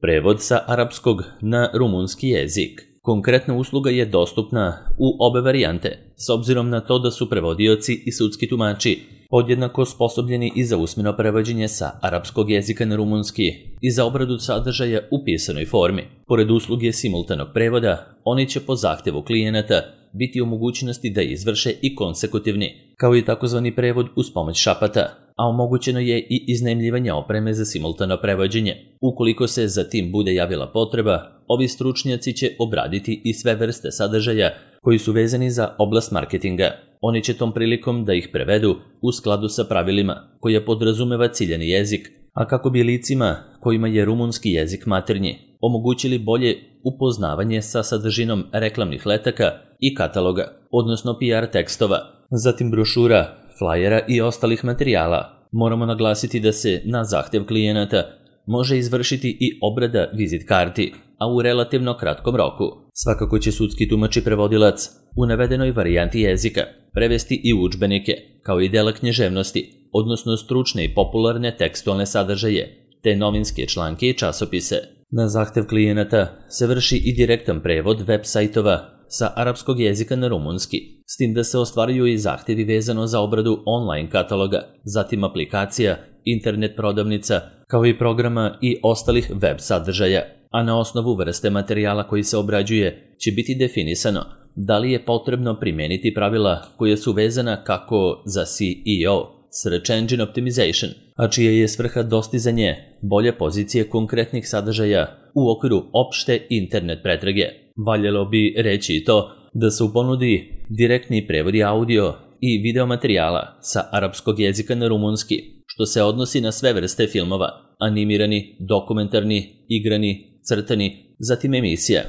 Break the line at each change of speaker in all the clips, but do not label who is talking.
Prevod sa arapskog na rumunski jezik. Konkretna usluga je dostupna u obe varijante, s obzirom na to da su prevodioci i sudski tumači podjednako osposobljeni i za usmeno prevođenje sa arapskog jezika na rumunski i za obradu sadržaja u pisanoj formi. Pored usluge simultanog prevoda, oni će po zahtevu klijenata biti u mogućnosti da izvrše i konsekutivni, kao i takozvani prevod uz pomoć šapata, a omogućeno je i iznajmljivanje opreme za simultano prevođenje. Ukoliko se za tim bude javila potreba, ovi stručnjaci će obraditi i sve vrste sadržaja koji su vezani za oblast marketinga. Oni će tom prilikom da ih prevedu u skladu sa pravilima koja podrazumeva ciljani jezik, a kako bi licima kojima je rumunski jezik maternji omogućili bolje upoznavanje sa sadržinom reklamnih letaka i kataloga, odnosno PR tekstova, zatim brošura, flajera i ostalih materijala. Moramo naglasiti da se na zahtev klijenata može izvršiti i obrada vizit karti, a u relativno kratkom roku. Svakako će sudski tumač i prevodilac u navedenoj varijanti jezika prevesti i udžbenike, kao i dela književnosti, odnosno stručne i popularne tekstualne sadržaje, te novinske članke i časopise. Na zahtev klijenata se vrši i direktan prevod web sajtova sa arapskog jezika na rumunski, s tim da se ostvaruju i zahtevi vezano za obradu online kataloga, zatim aplikacija, internet prodavnica, kao i programa i ostalih web sadržaja, a na osnovu vrste materijala koji se obrađuje će biti definisano da li je potrebno primijeniti pravila koje su vezana kako za SEO, Search Engine Optimization, a čija je svrha dostizanje bolje pozicije konkretnih sadržaja u okviru opšte internet pretrage. Valjalo bi reći i to da se u ponudi direktni prevodi audio i video materijala sa arapskog jezika na rumunski, što se odnosi na sve vrste filmova, animirani, dokumentarni, igrani, crtani, zatim emisija,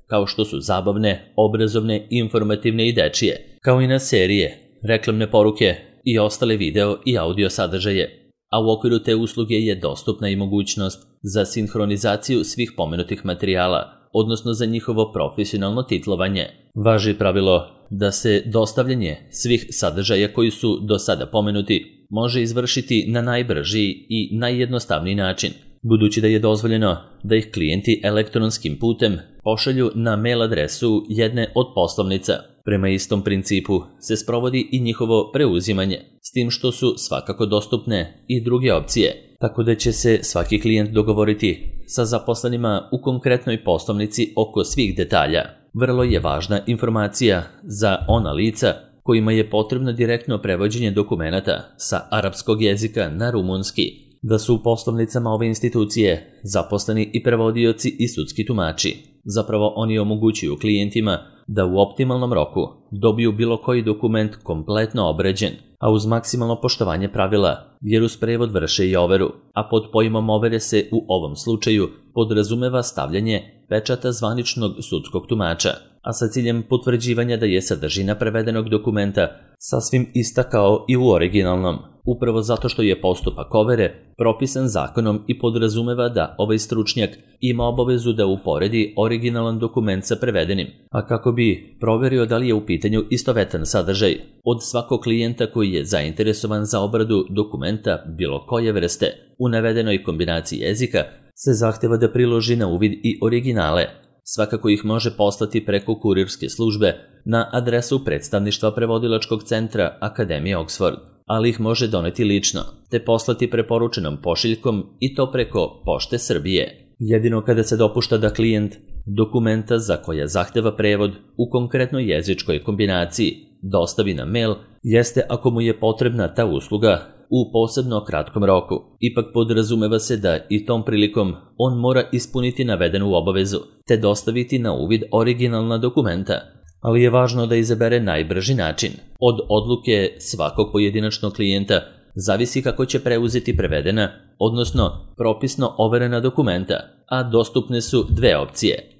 kao što su zabavne, obrazovne, informativne i dečije, kao i na serije, reklamne poruke i ostale video i audio sadržaje, a u okviru te usluge je dostupna i mogućnost za sinhronizaciju svih pomenutih materijala, odnosno za njihovo profesionalno titlovanje. Važi pravilo da se dostavljanje svih sadržaja koji su do sada pomenuti može izvršiti na najbrži i najjednostavniji način, budući da je dozvoljeno da ih klijenti elektronskim putem pošalju na mail adresu jedne od poslovnica. Prema istom principu se sprovodi i njihovo preuzimanje, s tim što su svakako dostupne i druge opcije, tako da će se svaki klijent dogovoriti sa zaposlenima u konkretnoj poslovnici oko svih detalja. Vrlo je važna informacija za ona lica kojima je potrebno direktno prevođenje dokumenata sa arapskog jezika na rumunski, da su u poslovnicama ove institucije zaposleni i prevodioci i sudski tumači. Zapravo oni omogućuju klijentima da u optimalnom roku dobiju bilo koji dokument kompletno obrađen, a uz maksimalno poštovanje pravila, jer uz prevod vrše i overu, a pod pojmom overe se u ovom slučaju podrazumeva stavljanje pečata zvaničnog sudskog tumača, a sa ciljem potvrđivanja da je sadržina prevedenog dokumenta sasvim ista kao i u originalnom, upravo zato što je postupak overe propisan zakonom i podrazumeva da ovaj stručnjak ima obavezu da uporedi originalan dokument sa prevedenim, a kako bi proverio da li je u pitanju istovetan sadržaj od svakog klijenta koji je zainteresovan za obradu dokumenta bilo koje vrste u navedenoj kombinaciji jezika, se zahteva da priloži na uvid i originale. Svakako ih može poslati preko kurirske službe na adresu predstavništva prevodilačkog centra Akademije Oxford, ali ih može doneti lično, te poslati preporučenom pošiljkom i to preko Pošte Srbije. Jedino kada se dopušta da klijent dokumenta za koja zahteva prevod u konkretnoj jezičkoj kombinaciji dostavi na mail, jeste ako mu je potrebna ta usluga u posebno kratkom roku. Ipak podrazumeva se da i tom prilikom on mora ispuniti navedenu obavezu, te dostaviti na uvid originalna dokumenta, ali je važno da izabere najbrži način. Od odluke svakog pojedinačnog klijenta zavisi kako će preuzeti prevedena, odnosno propisno overena dokumenta, a dostupne su dve opcije.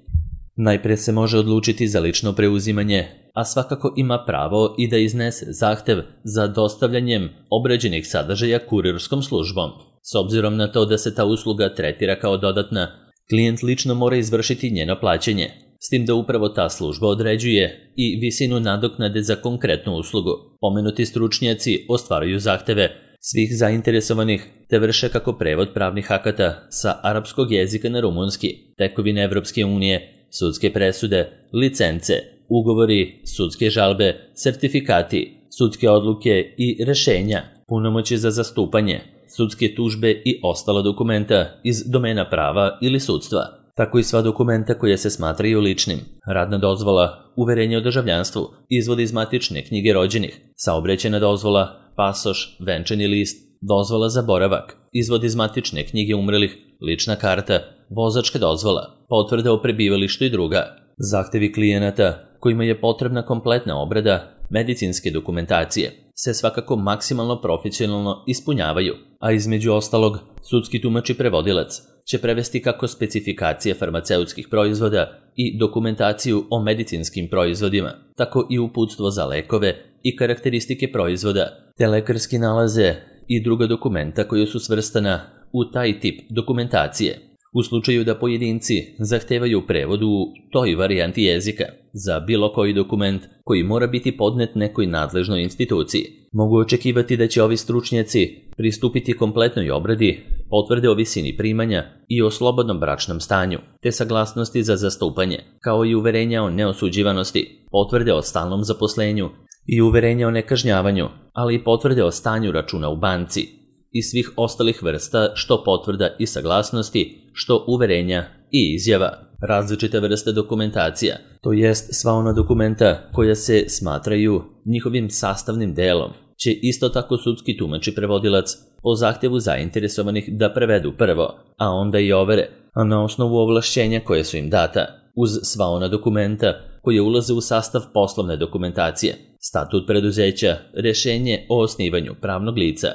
Najpre se može odlučiti za lično preuzimanje, a svakako ima pravo i da iznese zahtev za dostavljanjem obrađenih sadržaja kurirskom službom. S obzirom na to da se ta usluga tretira kao dodatna, klijent lično mora izvršiti njeno plaćanje, s tim da upravo ta služba određuje i visinu nadoknade za konkretnu uslugu. Pomenuti stručnjaci ostvaruju zahteve svih zainteresovanih te vrše kako prevod pravnih akata sa arapskog jezika na rumunski, tekovine Evropske unije, sudske presude, licence, ugovori, sudske žalbe, sertifikati, sudske odluke i rešenja, punomoći za zastupanje, sudske tužbe i ostala dokumenta iz domena prava ili sudstva, tako i sva dokumenta koje se smatraju ličnim, radna dozvola, uverenje o državljanstvu, izvod iz matične knjige rođenih, saobraćajna dozvola, pasoš, venčani list, dozvola za boravak, izvod iz matične knjige umrelih, lična karta, vozačka dozvola, potvrda o prebivalištu i druga. Zahtevi klijenata kojima je potrebna kompletna obrada medicinske dokumentacije se svakako maksimalno profesionalno ispunjavaju, a između ostalog, sudski tumač i prevodilac će prevesti kako specifikacije farmaceutskih proizvoda i dokumentaciju o medicinskim proizvodima, tako i uputstvo za lekove i karakteristike proizvoda, te lekarski nalaze i druga dokumenta koja su svrstana u taj tip dokumentacije. U slučaju da pojedinci zahtevaju prevod u toj varijanti jezika za bilo koji dokument koji mora biti podnet nekoj nadležnoj instituciji, mogu očekivati da će ovi stručnjaci pristupiti kompletnoj obradi potvrde o visini primanja i o slobodnom bračnom stanju, te saglasnosti za zastupanje, kao i uverenja o neosuđivanosti, potvrde o stalnom zaposlenju i uverenja o nekažnjavanju, ali i potvrde o stanju računa u banci i svih ostalih vrsta što potvrda i saglasnosti, što uverenja i izjava. Različite vrste dokumentacija, to jest sva ona dokumenta koja se smatraju njihovim sastavnim delom, će isto tako sudski tumač i prevodilac po zahtevu zainteresovanih da prevedu prvo, a onda i overe, a na osnovu ovlašćenja koje su im data, uz sva ona dokumenta koje ulaze u sastav poslovne dokumentacije, statut preduzeća, rešenje o osnivanju pravnog lica,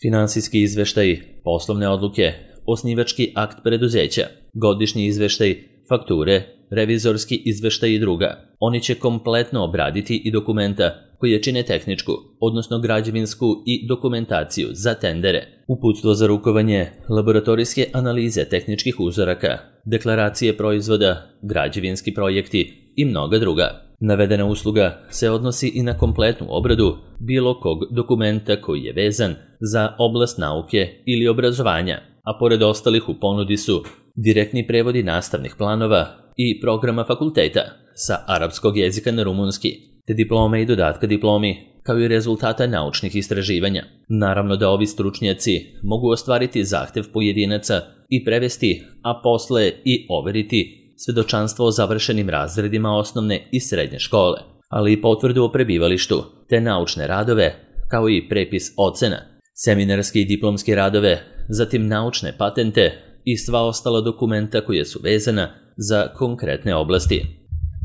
finansijski izveštaj, poslovne odluke, osnivački akt preduzeća, godišnji izveštaj, fakture, revizorski izveštaj i druga. Oni će kompletno obraditi i dokumenta koje čine tehničku, odnosno građevinsku i dokumentaciju za tendere, uputstvo za rukovanje, laboratorijske analize tehničkih uzoraka, deklaracije proizvoda, građevinski projekti i mnoga druga. Navedena usluga se odnosi i na kompletnu obradu bilo kog dokumenta koji je vezan za oblast nauke ili obrazovanja, a pored ostalih u ponudi su direktni prevodi nastavnih planova i programa fakulteta sa arapskog jezika na rumunski, te diplome i dodatka diplomi, kao i rezultata naučnih istraživanja. Naravno da ovi stručnjaci mogu ostvariti zahtev pojedinaca i prevesti, a posle i overiti svedočanstvo o završenim razredima osnovne i srednje škole, ali i potvrdu o prebivalištu, te naučne radove, kao i prepis ocena, seminarske i diplomske radove, zatim naučne patente i sva ostala dokumenta koja su vezana za konkretne oblasti.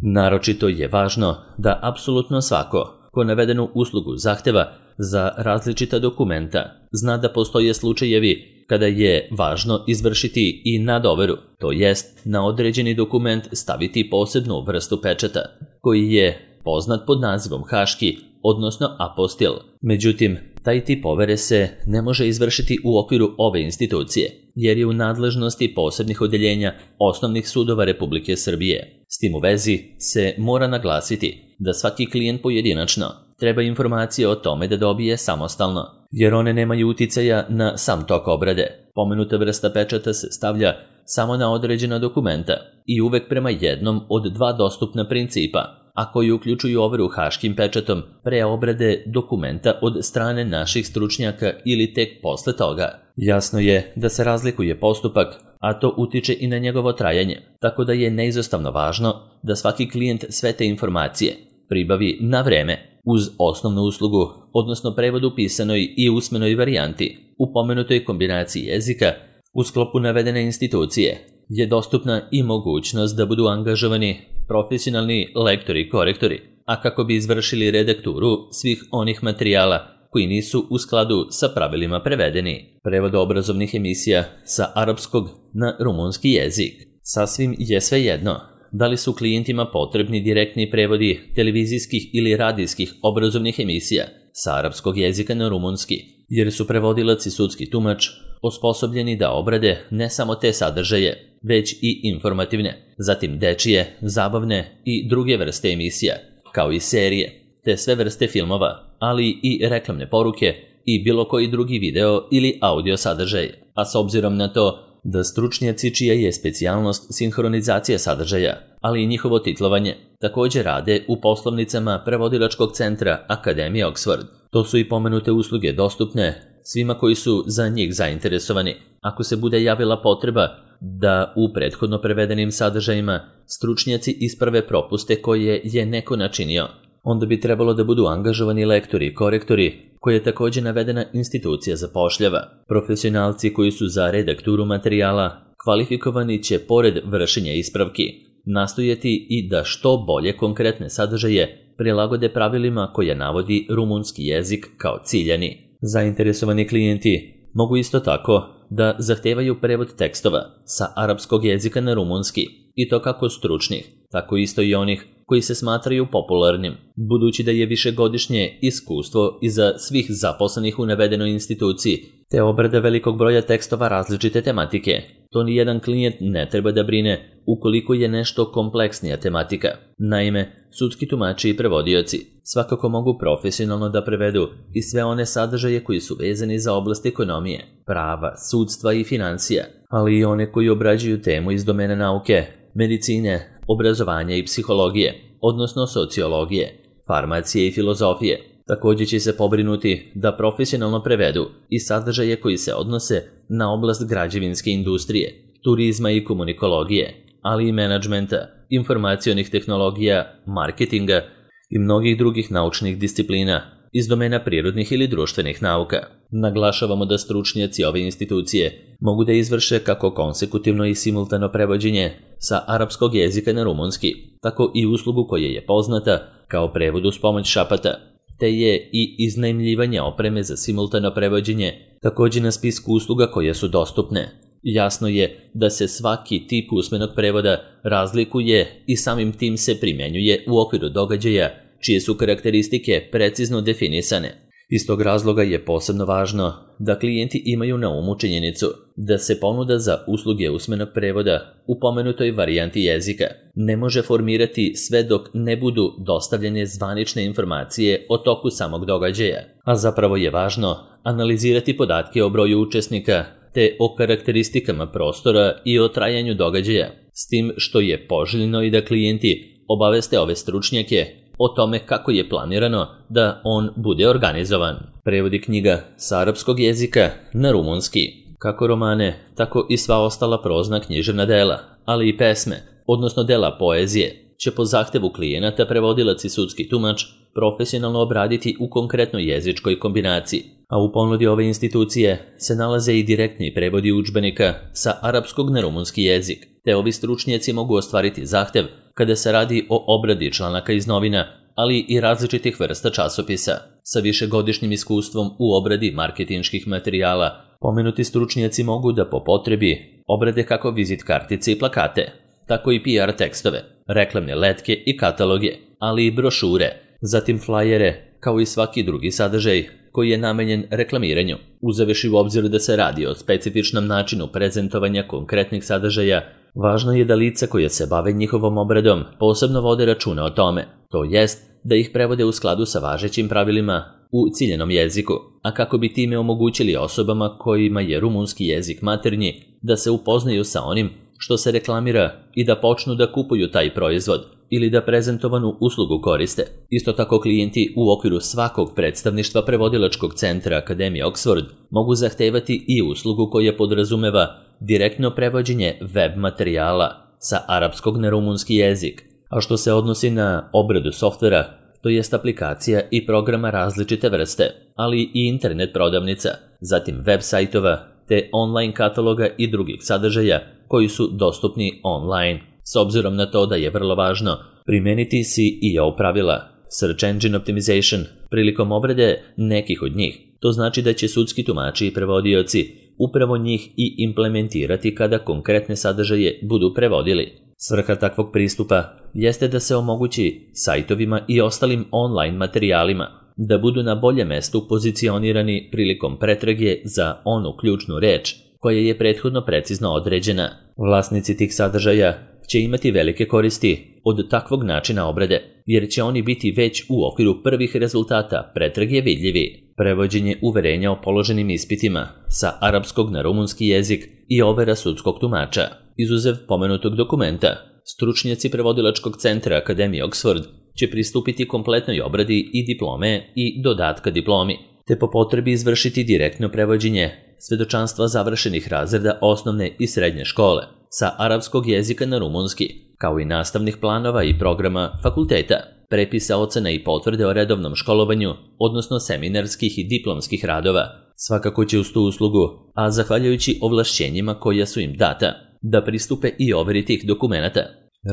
Naročito je važno da apsolutno svako ko navedenu uslugu zahteva za različita dokumenta zna da postoje slučajevi kada je važno izvršiti i nadoveru, to jest na određeni dokument staviti posebnu vrstu pečata, koji je poznat pod nazivom haški, odnosno apostil. Međutim, taj tip overe se ne može izvršiti u okviru ove institucije, jer je u nadležnosti posebnih odeljenja osnovnih sudova Republike Srbije. S tim u vezi se mora naglasiti da svaki klijent pojedinačno treba informacije o tome da dobije samostalno, jer one nemaju uticaja na sam tok obrade. Pomenuta vrsta pečata se stavlja samo na određena dokumenta i uvek prema jednom od dva dostupna principa, a koji uključuju overu haškim pečatom pre obrade dokumenta od strane naših stručnjaka ili tek posle toga. Jasno je da se razlikuje postupak, a to utiče i na njegovo trajanje, tako da je neizostavno važno da svaki klijent sve te informacije pribavi na vreme uz osnovnu uslugu, odnosno prevod u pisanoj i usmenoj varijanti. U pomenutoj kombinaciji jezika u sklopu navedene institucije je dostupna i mogućnost da budu angažovani profesionalni lektori i korektori, a kako bi izvršili redakturu svih onih materijala koji nisu u skladu sa pravilima prevedeni. Prevod obrazovnih emisija sa arapskog na rumunski jezik. Sasvim je svejedno da li su klijentima potrebni direktni prevodi televizijskih ili radijskih obrazovnih emisija sa arapskog jezika na rumunski, jer su prevodilac i sudski tumač osposobljeni da obrade ne samo te sadržaje, već i informativne, zatim dečije, zabavne i druge vrste emisija, kao i serije, te sve vrste filmova, ali i reklamne poruke i bilo koji drugi video ili audio sadržaj, a s obzirom na to da stručnjaci čija je specijalnost sinhronizacija sadržaja, ali i njihovo titlovanje, također rade u poslovnicama prevodilačkog centra Akademije Oxford. To su i pomenute usluge dostupne svima koji su za njih zainteresovani. Ako se bude javila potreba da u prethodno prevedenim sadržajima stručnjaci isprave propuste koje je neko načinio, onda bi trebalo da budu angažovani lektori i korektori, koje je također navedena institucija zapošljava. Profesionalci koji su za redakturu materijala kvalifikovani će, pored vršenja ispravki, nastojati i da što bolje konkretne sadržaje prilagode pravilima koje navodi rumunski jezik kao ciljani. Zainteresovani klijenti mogu isto tako da zahtevaju prevod tekstova sa arapskog jezika na rumunski, i to kako stručnih, tako isto i onih koji se smatraju popularnim, budući da je višegodišnje iskustvo iza svih zaposlenih u navedenoj instituciji, te obrada velikog broja tekstova različite tematike. To ni jedan klijent ne treba da brine ukoliko je nešto kompleksnija tematika. Naime, sudski tumači i prevodioci svakako mogu profesionalno da prevedu i sve one sadržaje koji su vezani za oblast ekonomije, prava, sudstva i financija, ali i one koji obrađuju temu iz domena nauke, medicine, obrazovanja i psihologije, odnosno sociologije, farmacije i filozofije. Također će se pobrinuti da profesionalno prevedu i sadržaje koji se odnose na oblast građevinske industrije, turizma i komunikologije, ali i menadžmenta, informacionih tehnologija, marketinga i mnogih drugih naučnih disciplina iz domena prirodnih ili društvenih nauka. Naglašavamo da stručnjaci ove institucije mogu da izvrše kako konsekutivno i simultano prevođenje sa arapskog jezika na rumunski, tako i uslugu koja je poznata kao prevod uz pomoć šapata, te je i iznajmljivanje opreme za simultano prevođenje također na spisku usluga koje su dostupne. Jasno je da se svaki tip usmenog prevoda razlikuje i samim tim se primjenjuje u okviru događaja čije su karakteristike precizno definisane. Iz tog razloga je posebno važno da klijenti imaju na umu činjenicu da se ponuda za usluge usmenog prevoda u pomenutoj varijanti jezika ne može formirati sve dok ne budu dostavljene zvanične informacije o toku samog događaja, a zapravo je važno analizirati podatke o broju učesnika te o karakteristikama prostora i o trajanju događaja, s tim što je poželjno i da klijenti obaveste ove stručnjake o tome kako je planirano da on bude organizovan. Prevodi knjiga sa arapskog jezika na rumunski, kako romane, tako i sva ostala prozna književna dela, ali i pesme, odnosno dela poezije, će po zahtevu klijenata prevodilac i sudski tumač profesionalno obraditi u konkretnoj jezičkoj kombinaciji, a u ponudi ove institucije se nalaze i direktni prevodi udžbenika sa arapskog na rumunski jezik, te ovi stručnjaci mogu ostvariti zahtev kada se radi o obradi članaka iz novina, ali i različitih vrsta časopisa. Sa višegodišnjim iskustvom u obradi marketinških materijala, pomenuti stručnjaci mogu da po potrebi obrade kako vizit kartice i plakate, tako i PR tekstove, reklamne letke i kataloge, ali i brošure, zatim flajere, kao i svaki drugi sadržaj koji je namenjen reklamiranju, uzevši u obzir da se radi o specifičnom načinu prezentovanja konkretnih sadržaja. Važno je da lica koje se bave njihovom obradom posebno vode računa o tome, to jest da ih prevode u skladu sa važećim pravilima u ciljenom jeziku, a kako bi time omogućili osobama kojima je rumunski jezik maternji da se upoznaju sa onim što se reklamira i da počnu da kupuju taj proizvod ili da prezentovanu uslugu koriste. Isto tako klijenti u okviru svakog predstavništva prevodilačkog centra Akademije Oxford mogu zahtevati i uslugu koja podrazumeva direktno prevođenje web materijala sa arapskog na rumunski jezik, a što se odnosi na obradu softvera, to jest aplikacija i programa različite vrste, ali i internet prodavnica, zatim web sajtova te online kataloga i drugih sadržaja koji su dostupni online. S obzirom na to da je vrlo važno primeniti SEO pravila, Search Engine Optimization, prilikom obrade nekih od njih, to znači da će sudski tumači i prevodioci upravo njih i implementirati kada konkretne sadržaje budu prevodili. Svrha takvog pristupa jeste da se omogući sajtovima i ostalim online materijalima da budu na boljem mestu pozicionirani prilikom pretrage za onu ključnu reč koja je prethodno precizno određena. Vlasnici tih sadržaja će imati velike koristi od takvog načina obrade, jer će oni biti već u okviru prvih rezultata pretrage vidljivi. prevođenje uverenja o položenim ispitima sa arapskog na rumunski jezik i overa sudskog tumača. Izuzev pomenutog dokumenta, stručnjaci prevodilačkog centra Akademije Oxford će pristupiti kompletnoj obradi i diplome i dodatka diplomi, te po potrebi izvršiti direktno prevođenje svedočanstva završenih razreda osnovne i srednje škole sa arapskog jezika na rumunski, kao i nastavnih planova i programa fakulteta, prepisa ocena i potvrde o redovnom školovanju, odnosno seminarskih i diplomskih radova. Svakako će uz tu uslugu, a zahvaljujući ovlašćenjima koja su im data, da pristupe i overi tih dokumenata.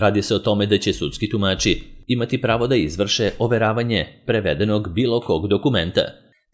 Radi se o tome da će sudski tumači imati pravo da izvrše overavanje prevedenog bilo kog dokumenta,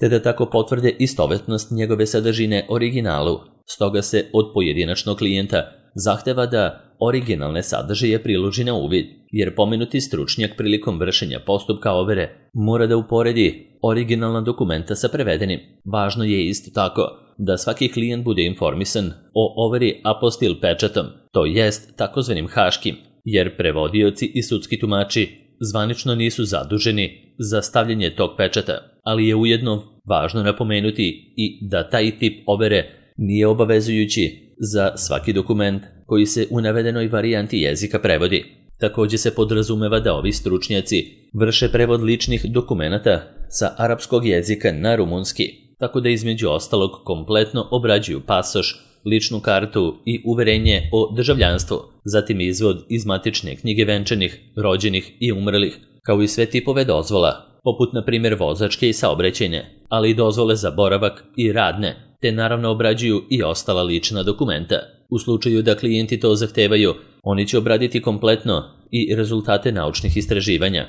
te da tako potvrde istovetnost njegove sadržine originalu. Stoga se od pojedinačnog klijenta zahteva da originalne sadržaje priloži na uvid, jer pomenuti stručnjak prilikom vršenja postupka overe mora da uporedi originalna dokumenta sa prevedenim. Važno je isto tako da svaki klijent bude informisan o overi apostil pečatom, to jest takozvanim haškim, jer prevodioci i sudski tumači zvanično nisu zaduženi za stavljanje tog pečata, ali je ujedno važno napomenuti i da taj tip overe nije obavezujući za svaki dokument koji se u navedenoj varijanti jezika prevodi. Također se podrazumeva da ovi stručnjaci vrše prevod ličnih dokumenata sa arapskog jezika na rumunski, tako da između ostalog kompletno obrađuju pasoš, ličnu kartu i uverenje o državljanstvu, zatim izvod iz matične knjige venčanih, rođenih i umrlih, kao i sve tipove dozvola, poput na primjer vozačke i saobraćajne, ali i dozvole za boravak i radne, te naravno obrađuju i ostala lična dokumenta. U slučaju da klijenti to zahtevaju, oni će obraditi kompletno i rezultate naučnih istraživanja,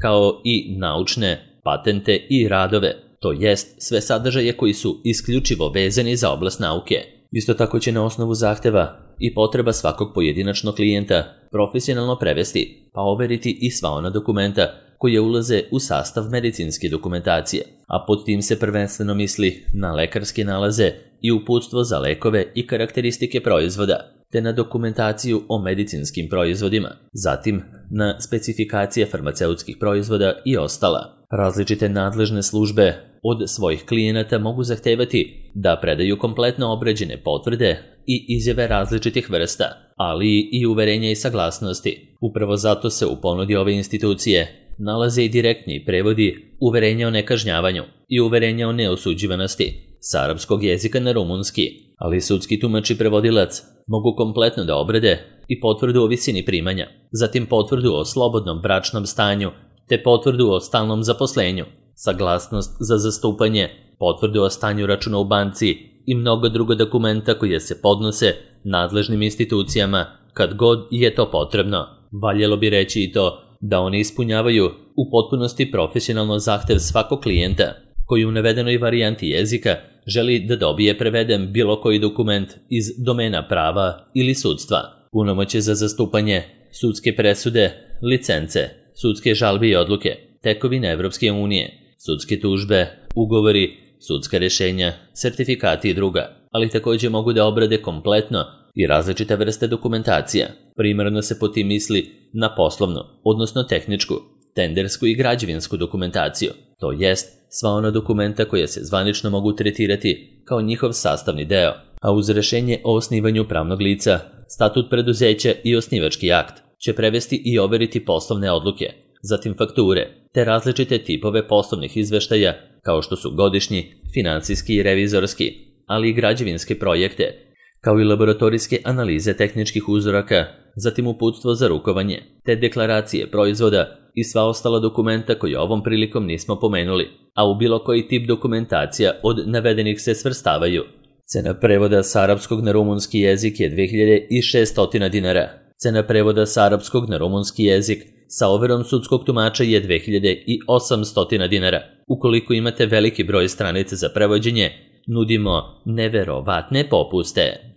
kao i naučne patente i radove, to jest sve sadržaje koji su isključivo vezani za oblast nauke. Isto tako će na osnovu zahteva i potreba svakog pojedinačnog klijenta profesionalno prevesti, pa overiti i sva ona dokumenta koje ulaze u sastav medicinske dokumentacije, a pod tim se prvenstveno misli na lekarske nalaze i uputstvo za lekove i karakteristike proizvoda, te na dokumentaciju o medicinskim proizvodima, zatim na specifikacije farmaceutskih proizvoda i ostala. Različite nadležne službe od svojih klijenata mogu zahtevati da predaju kompletno obrađene potvrde i izjave različitih vrsta, ali i uverenja i saglasnosti. Upravo zato se u ponudi ove institucije nalaze i direktni prevodi uverenja o nekažnjavanju i uverenja o neosuđivanosti sa arapskog jezika na rumunski, ali sudski tumač i prevodilac mogu kompletno da obrade i potvrdu o visini primanja, zatim potvrdu o slobodnom bračnom stanju, te potvrdu o stalnom zaposlenju, saglasnost za zastupanje, potvrdu o stanju računa u banci i mnogo drugo dokumenta koje se podnose nadležnim institucijama kad god je to potrebno. Valjalo bi reći i to da oni ispunjavaju u potpunosti profesionalno zahtev svakog klijenta koji u navedenoj varijanti jezika želi da dobije preveden bilo koji dokument iz domena prava ili sudstva, punomoćje za zastupanje, sudske presude, licence, sudske žalbe i odluke, tekovine Evropske unije, sudske tužbe, ugovori, sudska rješenja, sertifikati i druga, ali također mogu da obrade kompletno i različite vrste dokumentacija. Primarno se po tim misli na poslovnu, odnosno tehničku, tendersku i građevinsku dokumentaciju, to jest sva ona dokumenta koja se zvanično mogu tretirati kao njihov sastavni deo, a uz rješenje o osnivanju pravnog lica, statut preduzeća i osnivački akt će prevesti i overiti poslovne odluke, zatim fakture, te različite tipove poslovnih izveštaja kao što su godišnji, financijski i revizorski, ali i građevinske projekte, kao i laboratorijske analize tehničkih uzoraka, zatim uputstvo za rukovanje, te deklaracije proizvoda i sva ostala dokumenta koje ovom prilikom nismo pomenuli, a u bilo koji tip dokumentacija od navedenih se svrstavaju. Cena prevoda s arapskog na rumunski jezik je 2600 dinara. Cena prevoda s arapskog na rumunski jezik sa overom sudskog tumača je 2800 dinara. Ukoliko imate veliki broj stranica za prevođenje, nudimo neverovatne popuste.